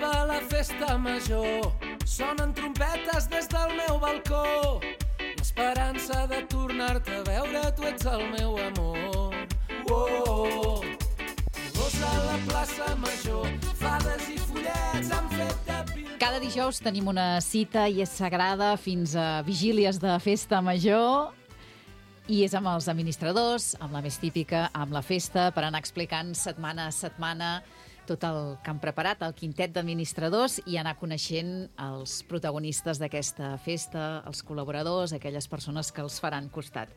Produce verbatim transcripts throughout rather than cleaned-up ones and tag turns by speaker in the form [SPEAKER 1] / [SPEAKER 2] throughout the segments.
[SPEAKER 1] arriba la festa major, sonen trompetes des del meu balcó. L'esperança de tornar-te a veure, tu ets el meu amor. Oh, gos a la plaça major, fades i follets han fet de pil...
[SPEAKER 2] Cada dijous tenim una cita i és sagrada fins a vigílies de festa major. I és amb els administradors, amb la més típica, amb la festa, per anar explicant setmana a setmana tot el que han preparat, el quintet d'administradors, i anar coneixent els protagonistes d'aquesta festa, els col·laboradors, aquelles persones que els faran costat.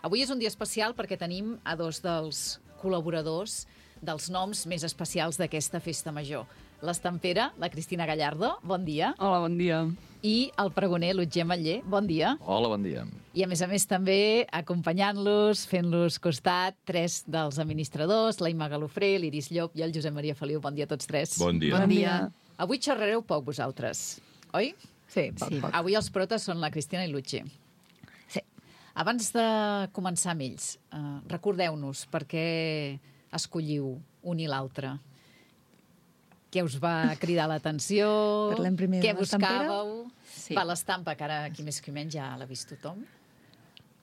[SPEAKER 2] Avui és un dia especial perquè tenim a dos dels col·laboradors dels noms més especials d'aquesta festa major. L'estampera, la Cristina Gallardo, bon dia.
[SPEAKER 3] Hola, bon dia.
[SPEAKER 2] I el pregoner, l'Otger Matller, bon dia.
[SPEAKER 4] Hola, bon dia.
[SPEAKER 2] I a més a més també acompanyant-los, fent-los costat, tres dels administradors, la Imma Galofré, l'Iris Llop i el Josep Maria Feliu. Bon dia a tots tres.
[SPEAKER 4] Bon dia.
[SPEAKER 3] Bon dia.
[SPEAKER 2] Avui xerrareu poc vosaltres, oi?
[SPEAKER 3] Sí, poc,
[SPEAKER 2] Sí.
[SPEAKER 3] poc.
[SPEAKER 2] Avui els protes són la Cristina i l'Otger.
[SPEAKER 3] Sí.
[SPEAKER 2] Abans de començar amb ells, eh, recordeu-nos per què escolliu un i l'altre. Què us va cridar l'atenció?
[SPEAKER 5] Parlem primer de
[SPEAKER 2] Què
[SPEAKER 5] l'estampera?
[SPEAKER 2] buscàveu?
[SPEAKER 3] Sí.
[SPEAKER 2] Va, l'estampa, que ara aquí més que menys ja l'ha vist tothom.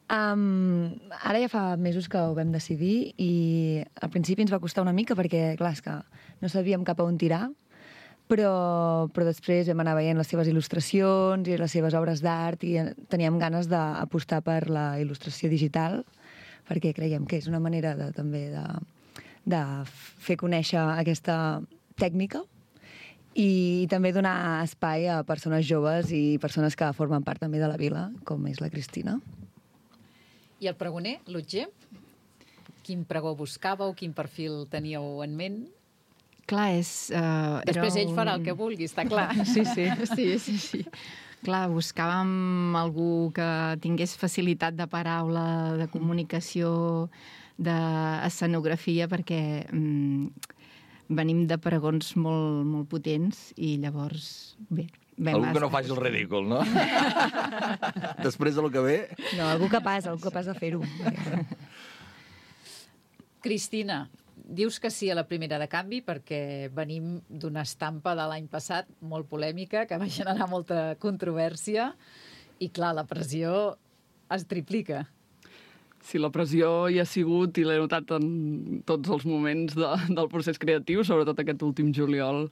[SPEAKER 5] Um, ara ja fa mesos que ho vam decidir i al principi ens va costar una mica perquè, clar, és que no sabíem cap a on tirar, però, però després vam anar veient les seves il·lustracions i les seves obres d'art i teníem ganes d'apostar per la il·lustració digital perquè creiem que és una manera de, també de, de fer conèixer aquesta tècnica i també donar espai a persones joves i persones que formen part també de la vila, com és la Cristina.
[SPEAKER 2] I el pregoner, l'Otger? Quin pregó buscàveu? Quin perfil teníeu en ment?
[SPEAKER 3] Clar, és... Uh,
[SPEAKER 2] Després ell farà el que vulgui, està clar.
[SPEAKER 3] Sí, sí, sí, sí, sí. Clar, buscàvem algú que tingués facilitat de paraula, de comunicació, d'escenografia, perquè mm, venim de pregons molt, molt potents i llavors, bé...
[SPEAKER 4] Algú que no faci el ridícul, no? Després del que ve...
[SPEAKER 5] No, algú capaç, algú capaç de fer-ho.
[SPEAKER 2] Cristina, dius que sí a la primera de canvi perquè venim d'una estampa de l'any passat molt polèmica que va generar molta controvèrsia i, clar, la pressió es triplica.
[SPEAKER 3] Sí, la pressió hi ha sigut i l'he notat en tots els moments de, del procés creatiu, sobretot aquest últim juliol.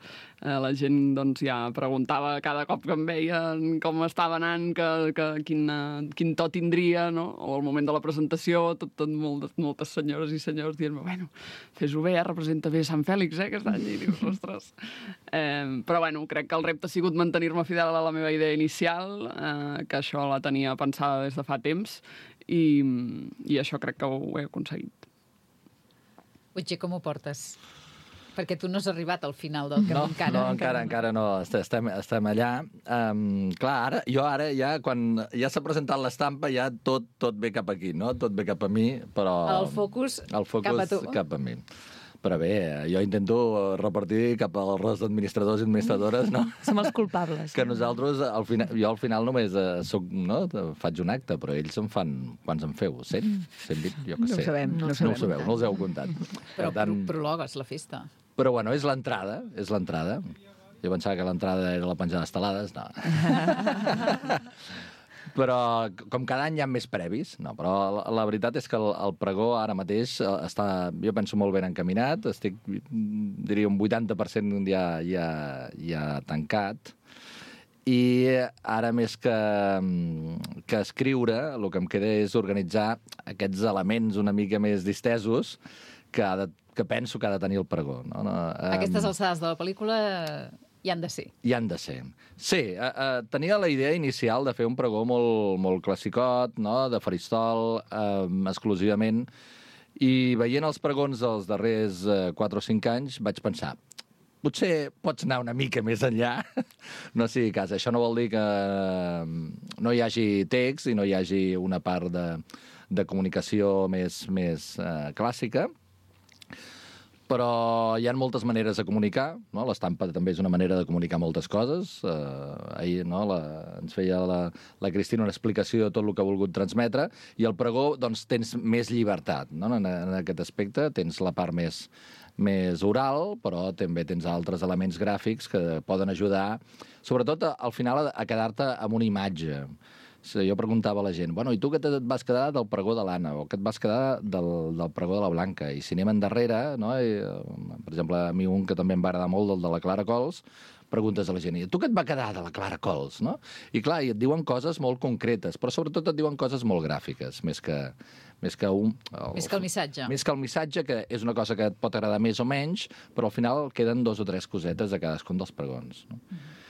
[SPEAKER 3] Eh, la gent doncs, ja preguntava cada cop que em veien com estava anant, que, que quin, quin to tindria, no? O al moment de la presentació, tot, tot moltes, moltes senyores i senyors dient-me, bueno, fes-ho bé, eh? Representa bé Sant Fèlix, eh, aquest any. I dius, ostres. Eh, però bueno, crec que el repte ha sigut mantenir-me fidel a la meva idea inicial, eh, que això la tenia pensada des de fa temps, i, i això crec que ho he aconseguit.
[SPEAKER 2] Otger, com ho portes? Perquè tu no has arribat al final del camí
[SPEAKER 4] No,
[SPEAKER 2] encara.
[SPEAKER 4] no, encara, encara no. Estem, estem allà. Um, clar, ara, jo ara ja, quan ja s'ha presentat l'estampa, ja tot, tot ve cap aquí, no? Tot ve cap a mi, però...
[SPEAKER 2] El focus,
[SPEAKER 4] el focus
[SPEAKER 2] cap a tu.
[SPEAKER 4] cap a mi. Però bé, jo intento repartir cap al rest d'administradors i administradores, no?
[SPEAKER 5] Som els culpables.
[SPEAKER 4] Que nosaltres, al final, jo al final només eh, soc, no? faig un acte, però ells en fan... Quants en feu? cent? cent vint? Jo què
[SPEAKER 5] No ho
[SPEAKER 4] sé.
[SPEAKER 5] sabem, no ho
[SPEAKER 4] No ho
[SPEAKER 5] sabem.
[SPEAKER 4] sabeu, no els heu comptat.
[SPEAKER 2] Però
[SPEAKER 4] Per tant,
[SPEAKER 2] pro prologues la festa.
[SPEAKER 4] però bueno, és l'entrada, és l'entrada. Jo pensava que l'entrada era la penjada d'estelades, no. Però com cada any hi ha més previs, no, però la, la veritat és que el, el pregó ara mateix està, jo penso, molt ben encaminat, estic, diria, un vuitanta per cent ja, ja, ja tancat, i ara més que, que escriure, el que em queda és organitzar aquests elements una mica més distesos que, ha de, que penso que ha de tenir el pregó. No? No,
[SPEAKER 2] Aquestes alçades de la pel·lícula hi han de ser.
[SPEAKER 4] Hi han de ser. Sí, eh, eh, tenia la idea inicial de fer un pregó molt, molt classicot, no? De faristol, eh, exclusivament, i veient els pregons dels darrers eh, quatre o cinc anys vaig pensar, potser pots anar una mica més enllà, no sigui cas. Això no vol dir que no hi hagi text i no hi hagi una part de, de comunicació més, més eh, clàssica, Però hi ha moltes maneres de comunicar, no? L'estampa també és una manera de comunicar moltes coses. Uh, ahir no? la, ens feia la, la Cristina una explicació de tot el que ha volgut transmetre, i el pregó doncs, tens més llibertat, no? en, en aquest aspecte. Tens la part més, més oral, però també tens altres elements gràfics que poden ajudar, sobretot al final, a quedar-te amb una imatge. Jo preguntava a la gent, bueno, i tu què et vas quedar del pregó de l'Anna, o què et vas quedar del, del pregó de la Blanca? I si anem endarrere, no? I, per exemple, a mi un que també em va agradar molt, del de la Clara Cols, preguntes a la gent, i tu què et va quedar de la Clara Cols? No? I clar, i et diuen coses molt concretes, però sobretot et diuen coses molt gràfiques, més que, més que un... El,
[SPEAKER 2] més que el missatge.
[SPEAKER 4] Més que el missatge, que és una cosa que et pot agradar més o menys, però al final queden dos o tres cosetes de cadascun dels pregons. No? Mm-hmm.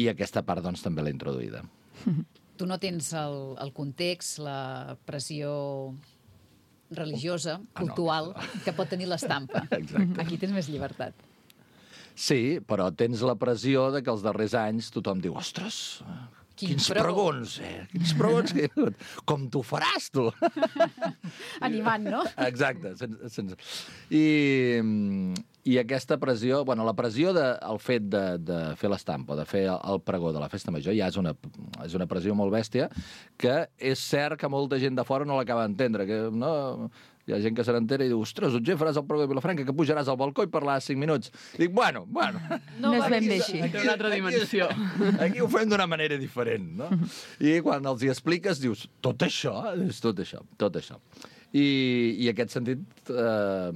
[SPEAKER 4] I aquesta part, doncs, també l'he introduïda.
[SPEAKER 2] Tu no tens el, el context, la pressió religiosa, cultural, ah, no, que pot tenir l'estampa.
[SPEAKER 4] Exacte.
[SPEAKER 2] Aquí tens més llibertat.
[SPEAKER 4] Sí, però tens la pressió de que els darrers anys tothom diu, ostres,
[SPEAKER 2] Quin
[SPEAKER 4] quins
[SPEAKER 2] pregó.
[SPEAKER 4] pregons, eh? Quins pregons, que... com t'ho faràs, tu?
[SPEAKER 2] Animant, no?
[SPEAKER 4] Exacte. Sense, sense... I, I aquesta pressió, bueno, la pressió del de, fet de, de fer l'estampa, de fer el pregó de la festa major, ja és una, és una pressió molt bèstia, que és cert que molta gent de fora no l'acaba d'entendre, que no... Hi ha gent que se n'entera i diu, ostres, Otger, faràs el pregó de Vilafranca, que pujaràs al balcó i parlaràs cinc minuts. Dic, bueno, bueno...
[SPEAKER 5] No, no és ben bé així.
[SPEAKER 3] Té una altra dimensió.
[SPEAKER 4] Aquí, aquí ho fem d'una manera diferent, no? I quan els hi expliques, dius, tot això? És tot això, tot això. I, i en aquest sentit, eh,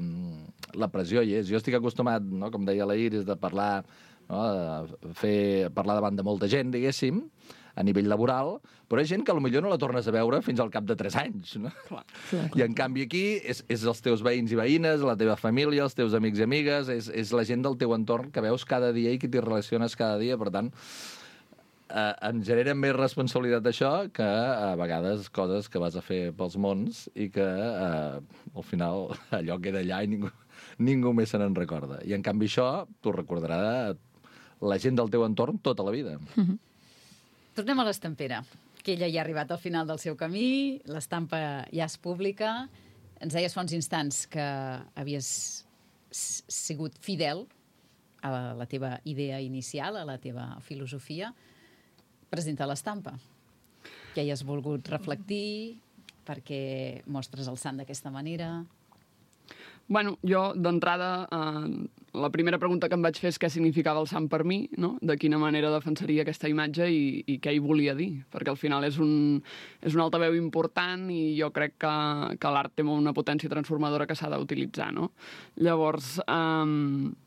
[SPEAKER 4] la pressió hi és. Jo estic acostumat, no? Com deia la Iris, de parlar, no? de fer, parlar davant de molta gent, diguéssim, a nivell laboral, però hi ha gent que potser no la tornes a veure fins al cap de tres anys, no?
[SPEAKER 3] Clar.
[SPEAKER 4] I en canvi aquí és, és els teus veïns i veïnes, la teva família, els teus amics i amigues, és, és la gent del teu entorn que veus cada dia i que t'hi relaciones cada dia, per tant, eh, em genera més responsabilitat això que a vegades coses que vas a fer pels mons i que eh, al final allò queda allà i ningú, ningú més se n'en recorda. I en canvi això t'ho recordarà la gent del teu entorn tota la vida.
[SPEAKER 2] Mm-hmm. Tornem a l'estampera, que ella ja ha arribat al final del seu camí, l'estampa ja és pública. Ens deies fa uns instants que havies sigut fidel a la, la teva idea inicial, a la teva filosofia, presentar l'estampa, que hi has volgut reflectir, perquè mostres el sant d'aquesta manera.
[SPEAKER 3] Bueno, jo, d'entrada, eh, la primera pregunta que em vaig fer és què significava el sant per mi, no? De quina manera defensaria aquesta imatge i, i què hi volia dir, perquè al final és un, és un altaveu important i jo crec que, que l'art té una potència transformadora que s'ha d'utilitzar, no? Llavors... Eh,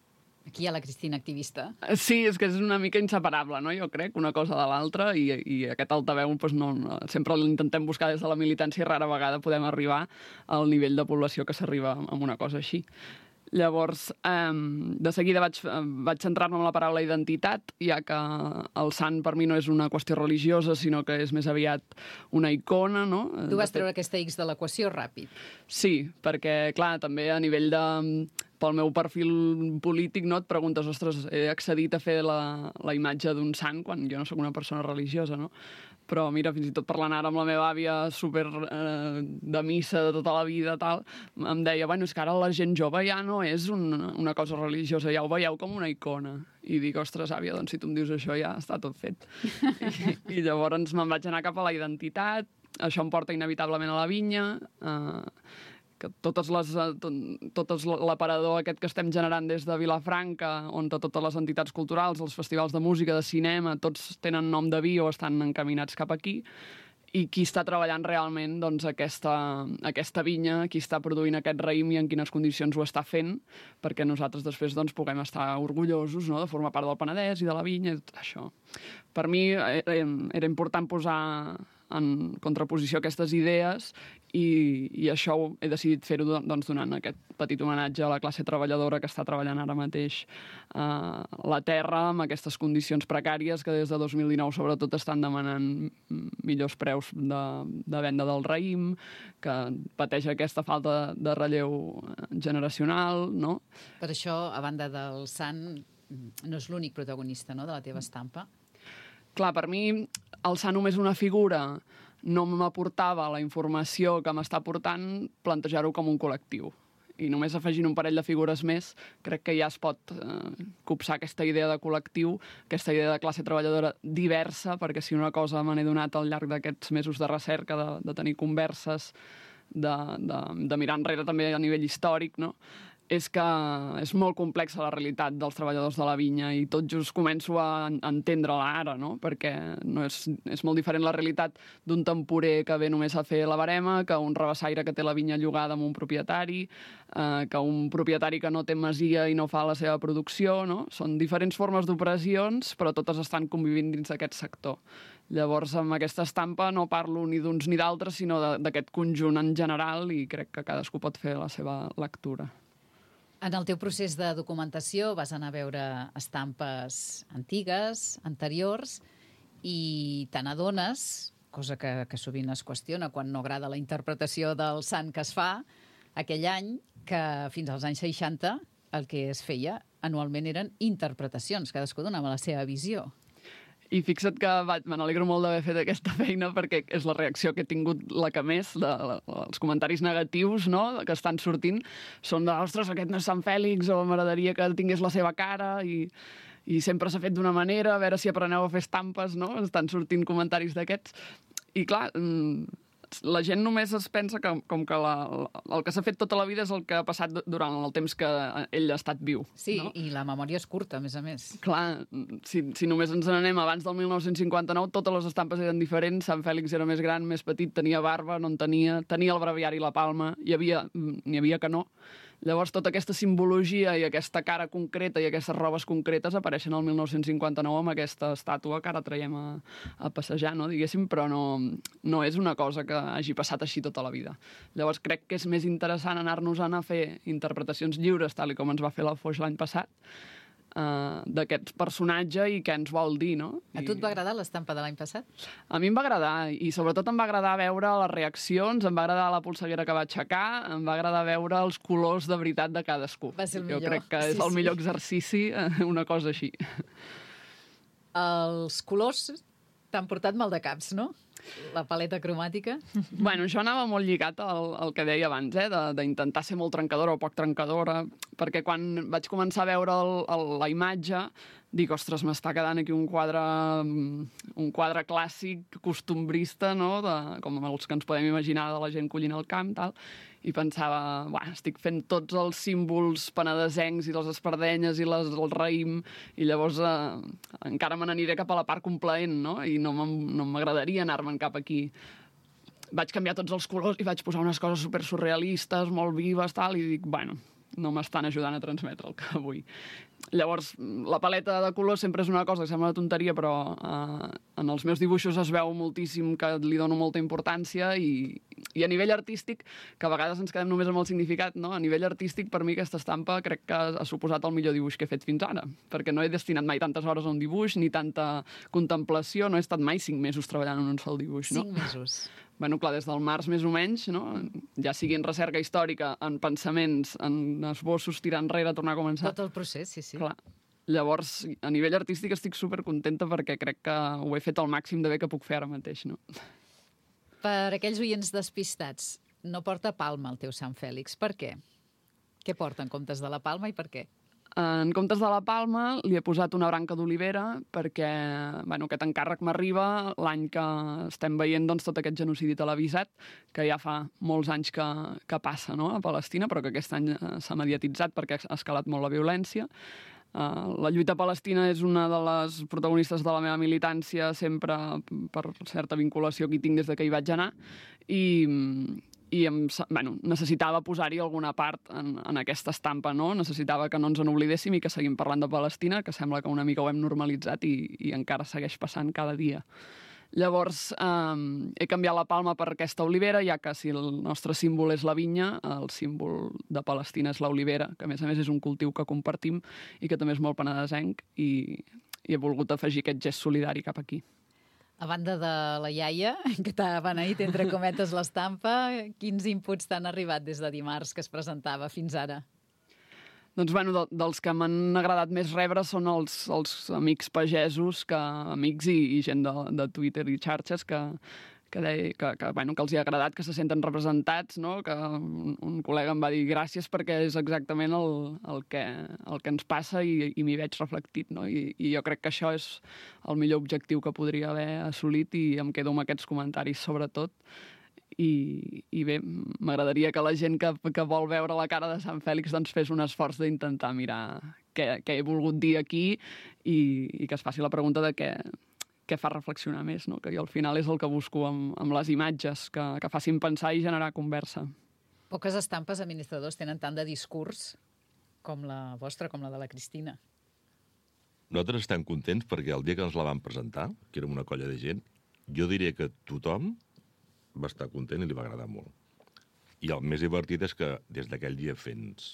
[SPEAKER 2] Aquí hi ha la Cristina activista.
[SPEAKER 3] Sí, és que és una mica inseparable, no? Jo crec, una cosa de l'altra, i, i aquest altaveu doncs, no, no, sempre l'intentem buscar des de la militància i rara vegada podem arribar al nivell de població que s'arriba amb una cosa així. Llavors, eh, de seguida vaig, vaig centrar-me en la paraula identitat, ja que el sant per mi no és una qüestió religiosa, sinó que és més aviat una icona, no?
[SPEAKER 2] Tu vas treure aquesta X de l'equació ràpid.
[SPEAKER 3] Sí, perquè, clar, també a nivell de... pel meu perfil polític, no, et preguntes, ostres, he accedit a fer la, la imatge d'un sant quan jo no sóc una persona religiosa, no? Però mira, fins i tot parlant ara amb la meva àvia super eh, de missa de tota la vida, tal, em deia, bueno, és que ara la gent jove ja no és una, una cosa religiosa, ja ho veieu com una icona. I dic, ostres, àvia, doncs si tu em dius això ja està tot fet. I, i llavors me'n vaig anar cap a la identitat, això em porta inevitablement a la vinya, eh, que totes les, tot l'aparador aquest que estem generant des de Vilafranca, on totes les entitats culturals, els festivals de música, de cinema, tots tenen nom de vi o estan encaminats cap aquí, i qui està treballant realment doncs, aquesta, aquesta vinya, qui està produint aquest raïm i en quines condicions ho està fent, perquè nosaltres després doncs, puguem estar orgullosos, no?, de formar part del Penedès i de la vinya i tot això. Per mi era, era important posar en contraposició aquestes idees i, i això he decidit fer-ho doncs, donant aquest petit homenatge a la classe treballadora que està treballant ara mateix a la terra amb aquestes condicions precàries que des de dos mil dinou sobretot estan demanant millors preus de, de venda del raïm, que pateix aquesta falta de relleu generacional, no?
[SPEAKER 2] Per això, a banda del sant, no és l'únic protagonista, no?, de la teva estampa.
[SPEAKER 3] Clar, per mi, alçar només una figura no m'aportava la informació que m'està portant plantejar-ho com un col·lectiu. i només afegint un parell de figures més, crec que ja es pot eh, copsar aquesta idea de col·lectiu, aquesta idea de classe treballadora diversa, perquè si una cosa me n'he donat al llarg d'aquests mesos de recerca, de, de tenir converses, de, de, de mirar enrere també a nivell històric, no?, és que és molt complexa la realitat dels treballadors de la vinya i tot just començo a entendre-la ara, no? Perquè no és, és molt diferent la realitat d'un temporer que ve només a fer la barema, que un rabassaire que té la vinya llogada amb un propietari, eh, que un propietari que no té masia i no fa la seva producció, no? Són diferents formes d'operacions, però totes estan convivint dins d'aquest sector. Llavors, amb aquesta estampa no parlo ni d'uns ni d'altres, sinó d'aquest conjunt en general i crec que cadascú pot fer la seva lectura.
[SPEAKER 2] En el teu procés de documentació vas anar a veure estampes antigues, anteriors, i te n'adones, cosa que, que sovint es qüestiona quan no agrada la interpretació del sant que es fa aquell any, que fins als anys seixanta el que es feia anualment eren interpretacions, cadascú donava la seva visió.
[SPEAKER 3] I fixa't que me n'alegro molt d'haver fet aquesta feina perquè és la reacció que he tingut la que més, de, de, els comentaris negatius, no?, que estan sortint, són de, ostres, aquest no és Sant Fèlix, o m'agradaria que tingués la seva cara, i, i sempre s'ha fet d'una manera, a veure si apreneu a fer estampes, no?, estan sortint comentaris d'aquests. I clar, la gent només es pensa que com que la, el que s'ha fet tota la vida és el que ha passat durant el temps que ell ha estat viu.
[SPEAKER 2] Sí,
[SPEAKER 3] no?
[SPEAKER 2] I la memòria és curta, a més a més.
[SPEAKER 3] Clar, si, si només ens n'anem abans del mil nou-cents cinquanta-nou, totes les estampes eren diferents, Sant Fèlix era més gran, més petit, tenia barba, no en tenia, tenia el breviari i la palma, hi havia, n'hi havia que no. Llavors, tota aquesta simbologia i aquesta cara concreta i aquestes robes concretes apareixen al mil nou-cents cinquanta-nou amb aquesta estàtua que ara traiem a, a passejar, no, diguéssim, però no, no és una cosa que hagi passat així tota la vida. Llavors, crec que és més interessant anar-nos-en a fer interpretacions lliures, tal com ens va fer la Foix l'any passat, Uh, d'aquest personatge i què ens vol dir, no?
[SPEAKER 2] A tu et va agradar l'estampa de l'any passat?
[SPEAKER 3] A mi em va agradar, i sobretot em va agradar veure les reaccions, em va agradar la polseguera que va aixecar, em va agradar veure els colors de veritat de cadascú.
[SPEAKER 2] Va ser el
[SPEAKER 3] jo
[SPEAKER 2] millor.
[SPEAKER 3] crec que és
[SPEAKER 2] sí,
[SPEAKER 3] el
[SPEAKER 2] sí.
[SPEAKER 3] millor exercici, una cosa així.
[SPEAKER 2] Els colors t'han portat mal de caps, no? La paleta cromàtica.
[SPEAKER 3] Bueno, això anava molt lligat al, al que deia abans, eh? d'intentar ser molt trencadora o poc trencadora, perquè quan vaig començar a veure el, el, la imatge, dic, ostres, m'està quedant aquí un quadre, un quadre clàssic, costumbrista, no? de, com els que ens podem imaginar de la gent collint al camp, tal. I pensava, buah, estic fent tots els símbols penedesencs i les espardenyes i les, el raïm, i llavors eh, encara me n'aniré cap a la part complaent, no? I no m'agradaria anar-me'n cap aquí. Vaig canviar tots els colors i vaig posar unes coses super surrealistes, molt vives, tal, i dic, bueno, no m'estan ajudant a transmetre el que vull. Llavors, la paleta de colors sempre és una cosa que sembla una tonteria, però eh, en els meus dibuixos es veu moltíssim que li dono molta importància i, i a nivell artístic, que a vegades ens quedem només amb el significat, no? A nivell artístic, per mi aquesta estampa crec que ha suposat el millor dibuix que he fet fins ara, perquè no he destinat mai tantes hores a un dibuix, ni tanta contemplació, no he estat mai cinc mesos treballant en un sol dibuix, no?
[SPEAKER 2] Cinc mesos.
[SPEAKER 3] Bueno, clar, des del març més o menys, no? Ja sigui en recerca històrica, en pensaments, en esbossos, tirar enrere, tornar a començar.
[SPEAKER 2] Tot el procés, sí, sí.
[SPEAKER 3] Clar. Llavors, a nivell artístic estic supercontenta perquè crec que ho he fet al màxim de bé que puc fer ara mateix, no?
[SPEAKER 2] Per aquells oients despistats, no porta palma el teu Sant Fèlix. Per què? Què porta en comptes de la palma i per què?
[SPEAKER 3] En comptes de la palma li he posat una branca d'olivera perquè bueno, aquest encàrrec m'arriba l'any que estem veient doncs, tot aquest genocidi televisat, que ja fa molts anys que, que passa, no?, a Palestina, però que aquest any s'ha mediatitzat perquè ha escalat molt la violència. Uh, la lluita palestina és una de les protagonistes de la meva militància, sempre per certa vinculació que hi tinc des de que hi vaig anar, i, i em, bueno, necessitava posar-hi alguna part en, en aquesta estampa, no? Necessitava que no ens en oblidéssim i que seguim parlant de Palestina, que sembla que una mica ho hem normalitzat i, i encara segueix passant cada dia. Llavors, eh, he canviat la palma per aquesta olivera, ja que si el nostre símbol és la vinya, el símbol de Palestina és l'olivera, que a més a més és un cultiu que compartim i que també és molt penedesenc, i, i he volgut afegir aquest gest solidari cap aquí.
[SPEAKER 2] A banda de la iaia, que t'ha beneït entre cometes l'estampa, quins inputs t'han arribat des de dimarts que es presentava fins ara?
[SPEAKER 3] Doncs, bueno, de, dels que m'han agradat més rebre són els, els amics pagesos, que, amics i, i gent de, de Twitter i xarxes que, que, deia, que, que, bueno, que els hi ha agradat, que se senten representats, no? Que un, un col·lega em va dir gràcies perquè és exactament el, el, que, el que ens passa i, i m'hi veig reflectit, no? I, I jo crec que això és el millor objectiu que podria haver assolit i em quedo amb aquests comentaris sobretot. I, i bé, m'agradaria que la gent que, que vol veure la cara de Sant Fèlix doncs fes un esforç d'intentar mirar què, què he volgut dir aquí i, i que es faci la pregunta de què, què fa reflexionar més, no? Que jo al final és el que busco amb, amb les imatges, que, que facin pensar i generar conversa.
[SPEAKER 2] Poques estampes administradors tenen tant de discurs com la vostra, com la de la Cristina.
[SPEAKER 6] Nosaltres estem contents perquè el dia que ens la van presentar, que érem una colla de gent, jo diria que tothom va estar content i li va agradar molt. I el més divertit és que des d'aquell dia fins...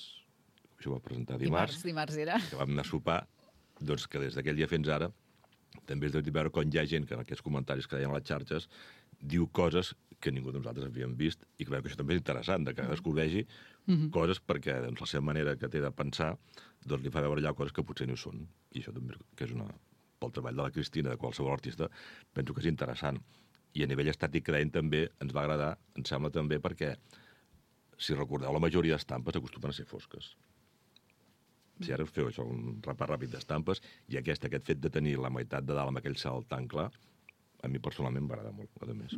[SPEAKER 6] Això va presentar dimarts.
[SPEAKER 2] Dimarts, dimarts era.
[SPEAKER 6] Que vam anar a sopar, doncs que des d'aquell dia fins ara també és de veure com hi ha gent que en aquests comentaris que deien a les xarxes diu coses que ningú de nosaltres havíem vist i que, que això també és interessant, de que descobreixi mm-hmm. coses perquè doncs, la seva manera que té de pensar doncs, li fa veure allà coses que potser no hi són. I això també que és una... pel treball de la Cristina, de qualsevol artista, penso que és interessant. I a nivell estàtic que deien també ens va agradar, em sembla també perquè, si recordeu, la majoria d'estampes acostumen a ser fosques. Si ara us feu això, un repàs ràpid d'estampes, i aquest, aquest fet de tenir la meitat de dalt amb aquell salt tan clar, a mi personalment m'agrada molt, a més.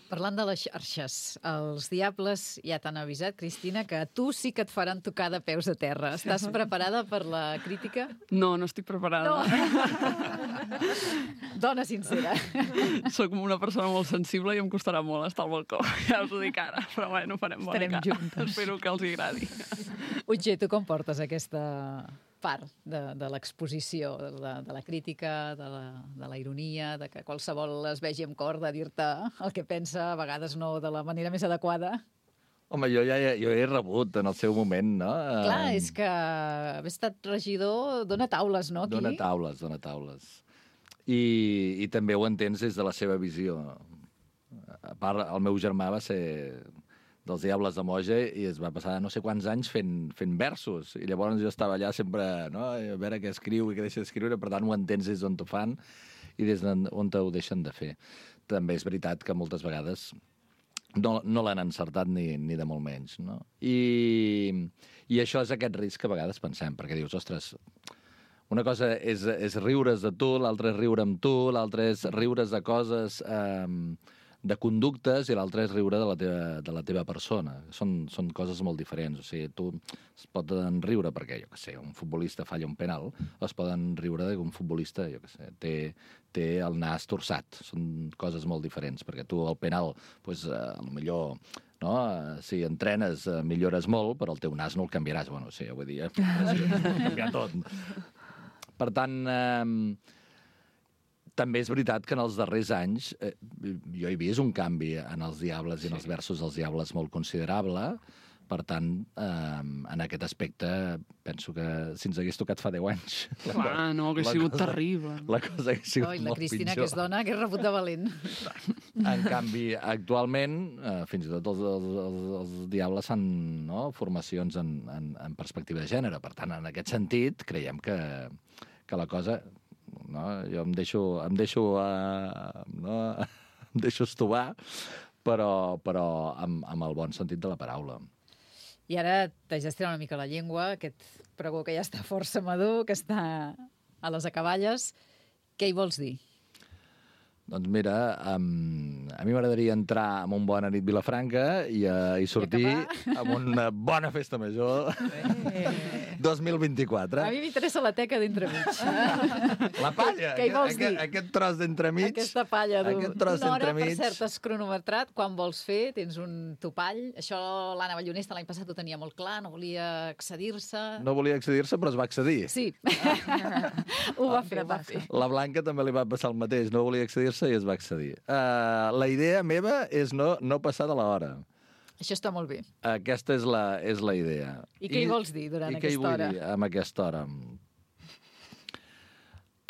[SPEAKER 2] Parlant de les xarxes, els diables ja t'han avisat, Cristina, que a tu sí que et faran tocar de peus a terra. Estàs preparada per la crítica?
[SPEAKER 3] No, no estic preparada.
[SPEAKER 2] No. Dona sincera.
[SPEAKER 3] Soc una persona molt sensible i em costarà molt estar al balcó. Ja us ho dic ara, però bueno, farem bona
[SPEAKER 2] Estarem
[SPEAKER 3] cara.
[SPEAKER 2] juntes.
[SPEAKER 3] Espero que els hi agradi.
[SPEAKER 2] Utge, tu com portes aquesta part de, de l'exposició, de, la, de la crítica, de la, de la ironia, de que qualsevol es vegi amb cor de dir-te el que pensa, a vegades no de la manera més adequada?
[SPEAKER 4] Home, jo ja jo he rebut en el seu moment, no?
[SPEAKER 2] Clar, és que haver estat regidor dona taules, no, aquí?
[SPEAKER 4] Dona taules, dona taules. I, i també ho entens des de la seva visió. A part, el meu germà va ser dels Diables de Moja i es va passar no sé quants anys fent, fent versos. I llavors jo estava allà sempre, no?, a veure què escriu i què deixa d'escriure, per tant ho entens des d'on t'ho fan i des d'on ho deixen de fer. També és veritat que moltes vegades no, no l'han encertat ni, ni de molt menys, no? I, I això és aquest risc que a vegades pensem, perquè dius, ostres, una cosa és, és riure's de tu, l'altra és riure amb tu, l'altra és riure's de coses... Eh, de conductes i l'altre és riure de la teva, de la teva persona. Són, són coses molt diferents. O sigui, tu es poden riure perquè, jo què sé, un futbolista falla un penal, o es poden riure que un futbolista, jo què sé, té, té el nas torçat. Són coses molt diferents, perquè tu el penal, doncs, eh, millor... No? Si entrenes, eh, millores molt, però el teu nas no el canviaràs. Bueno, sí, vull dir, canviar tot. Per tant... Eh, també és veritat que en els darrers anys eh, jo he vist un canvi en els Diables i en els versos dels Diables molt considerable. Per tant, eh, en aquest aspecte, penso que si ens hagués tocat fa deu anys...
[SPEAKER 3] Clar, no, hauria sigut
[SPEAKER 4] cosa,
[SPEAKER 3] terrible.
[SPEAKER 4] La cosa hauria sigut
[SPEAKER 2] Oi,
[SPEAKER 4] molt pitjor.
[SPEAKER 2] la Cristina, que és dona, que és rebut de valent.
[SPEAKER 4] En canvi, actualment, eh, fins i tot els, els, els, els Diables fan, no?, formacions en, en, en perspectiva de gènere. Per tant, en aquest sentit, creiem que, que la cosa... No? Jo em deixo, em deixo, uh, no? em deixo estovar, però, però amb, amb el bon sentit de la paraula.
[SPEAKER 2] I ara t'haig d'estirar una mica la llengua, aquest pregó que ja està força madur, que està a les acaballes. Què hi vols dir?
[SPEAKER 4] Doncs mira, um, a mi m'agradaria entrar en un Bona nit Vilafranca i, uh, i sortir amb una bona festa major eh. dos mil vint-i-quatre.
[SPEAKER 2] A mi m'interessa la teca d'entremig.
[SPEAKER 4] La palla,
[SPEAKER 2] Què hi vols
[SPEAKER 4] aquest,
[SPEAKER 2] dir?
[SPEAKER 4] aquest tros d'entremig.
[SPEAKER 2] Aquesta palla
[SPEAKER 4] Aquest tros
[SPEAKER 2] d'una hora,
[SPEAKER 4] d'entremig.
[SPEAKER 2] per cert, has cronometrat. Quan vols fer, tens un topall. Això l'Anna Ballonesta l'any passat ho tenia molt clar, no volia accedir-se.
[SPEAKER 4] No volia accedir-se, però es va accedir.
[SPEAKER 2] Sí. ho va fer, ho va fer.
[SPEAKER 4] La Blanca també li va passar el mateix, no volia accedir-se i es va accedir. Uh, la idea meva és no, no passar de l'hora.
[SPEAKER 2] Això està molt bé.
[SPEAKER 4] Aquesta és la, és la idea.
[SPEAKER 2] I què hi vols dir durant
[SPEAKER 4] I
[SPEAKER 2] aquesta hora?
[SPEAKER 4] I què hi vull dir amb aquesta hora?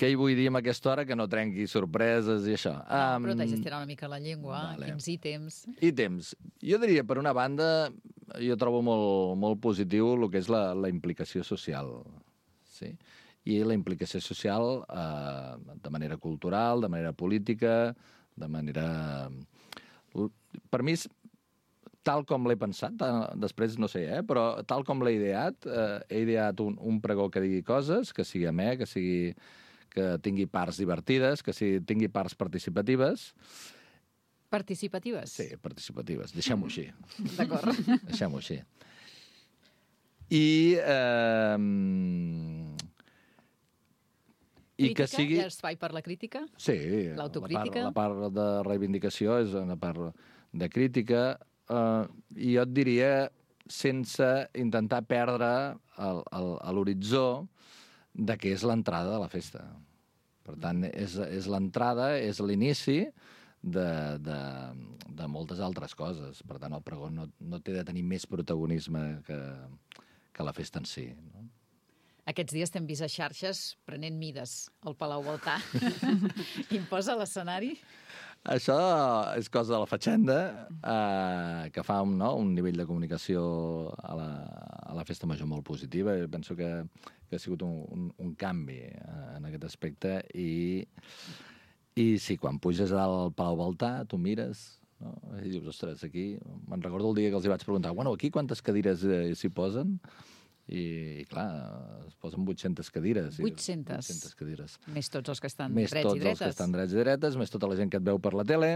[SPEAKER 4] Què hi vull dir amb aquesta hora que no trenqui sorpreses i això?
[SPEAKER 2] No,
[SPEAKER 4] um,
[SPEAKER 2] però t'haig d'estirar una mica la llengua.
[SPEAKER 4] vale.
[SPEAKER 2] Quins ítems?
[SPEAKER 4] Ítems. Jo diria, per una banda, jo trobo molt, molt positiu el que és la, la implicació social. Sí? I la implicació social eh, de manera cultural, de manera política, de manera... Per mi, tal com l'he pensat, després no sé, eh, però tal com l'he ideat, eh, he ideat un, un pregó que digui coses, que sigui amè, que sigui que tingui parts divertides, que sigui, tingui parts participatives.
[SPEAKER 2] Participatives?
[SPEAKER 4] Sí, participatives. Deixem-ho així.
[SPEAKER 2] D'acord.
[SPEAKER 4] Deixem-ho així. I... Eh, I
[SPEAKER 2] crítica?
[SPEAKER 4] que sigui...
[SPEAKER 2] Hi ha espai per la crítica?
[SPEAKER 4] Sí.
[SPEAKER 2] L'autocrítica?
[SPEAKER 4] La part, la part de reivindicació és una part de crítica. Uh, I jo et diria, sense intentar perdre el, el, l'horitzó de què és l'entrada de la festa. Per tant, és, és l'entrada, és l'inici de, de, de moltes altres coses. Per tant, el pregó no, no té de tenir més protagonisme que, que la festa en si, no?
[SPEAKER 2] Aquests dies t'hem vist a xarxes prenent mides al Palau Baltà. Imposa l'escenari?
[SPEAKER 4] Això és cosa de la Fatxenda, eh, que fa un, no, un nivell de comunicació a la, a la Festa Major molt positiva. Jo penso que, que ha sigut un, un, un canvi eh, en aquest aspecte. I, I sí, quan puges al Palau Baltà, tu mires, no? I dius, ostres, aquí... Me'n recordo el dia que els hi vaig preguntar, bueno, aquí quantes cadires eh, s'hi posen? I, i clar, es posen vuit-centes cadires.
[SPEAKER 2] vuit-centes?
[SPEAKER 4] vuit-centes cadires.
[SPEAKER 2] Més tots els que estan
[SPEAKER 4] Més
[SPEAKER 2] drets
[SPEAKER 4] tots
[SPEAKER 2] i dretes.
[SPEAKER 4] els que estan drets i dretes, més tota la gent que et veu per la tele.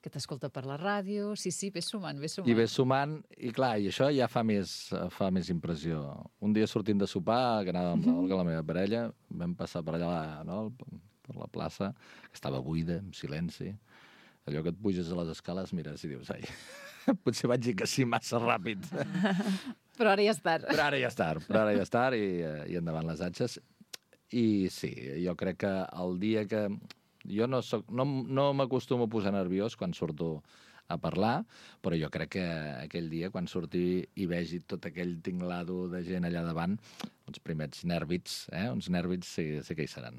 [SPEAKER 2] Que t'escolta per la ràdio. Sí, sí, ves sumant, ves sumant.
[SPEAKER 4] I ves sumant, i clar, i això ja fa més, fa més impressió. Un dia sortint de sopar, que anava amb l'Olga, la meva parella, vam passar per allà, no?, per la plaça, que estava buida, en silenci. Allò que et puges a les escales, mires i dius, ai, potser vaig dir que sí massa ràpid.
[SPEAKER 2] Però ara ja és tard.
[SPEAKER 4] Però ara ja és tard, però ara ja és tard, i, i endavant les atxes. I sí, jo crec que el dia que... Jo no, soc, no, no m'acostumo a posar nerviós quan surto a parlar, però jo crec que aquell dia, quan surti i vegi tot aquell tinglado de gent allà davant, uns primers nèrbits, eh? uns nèrbits sí, sí que hi seran.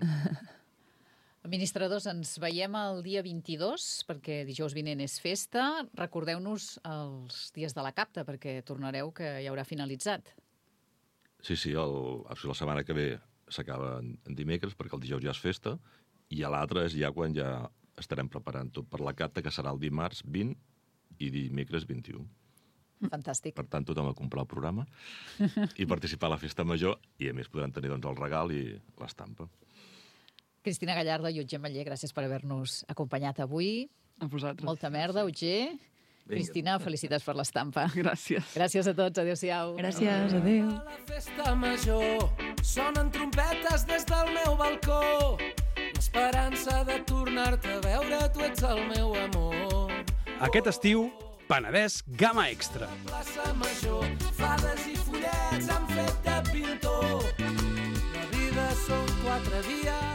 [SPEAKER 2] Administradors, ens veiem el dia vint-i-dos, perquè dijous vinent és festa. Recordeu-nos els dies de la capta, perquè tornareu que ja haurà finalitzat.
[SPEAKER 6] Sí, sí, el, la setmana que ve s'acaba en, en dimecres, perquè el dijous ja és festa, i a l'altre és ja quan ja estarem preparant tot per la capta, que serà el dimarts vint i dimecres vint-i-u.
[SPEAKER 2] Fantàstic.
[SPEAKER 6] Per tant, tothom a comprar el programa i participar a la festa major, i a més podran tenir doncs, el regal i l'estampa.
[SPEAKER 2] Cristina Gallardo i Otger Maller, gràcies per haver-nos acompanyat avui.
[SPEAKER 3] A vosaltres.
[SPEAKER 2] Molta merda, Otger. Vinga. Cristina, felicitats per l'estampa.
[SPEAKER 3] Gràcies.
[SPEAKER 2] Gràcies a tots, adéu-siau.
[SPEAKER 5] Gràcies, adéu.
[SPEAKER 1] A la festa major sonen trompetes des del meu balcó. L'esperança de tornar-te a veure, tu ets el meu amor.
[SPEAKER 7] Aquest estiu, Penedès Gamma Extra.
[SPEAKER 1] Plaça Major, fades i follets han fet de pintor. La vida són quatre dies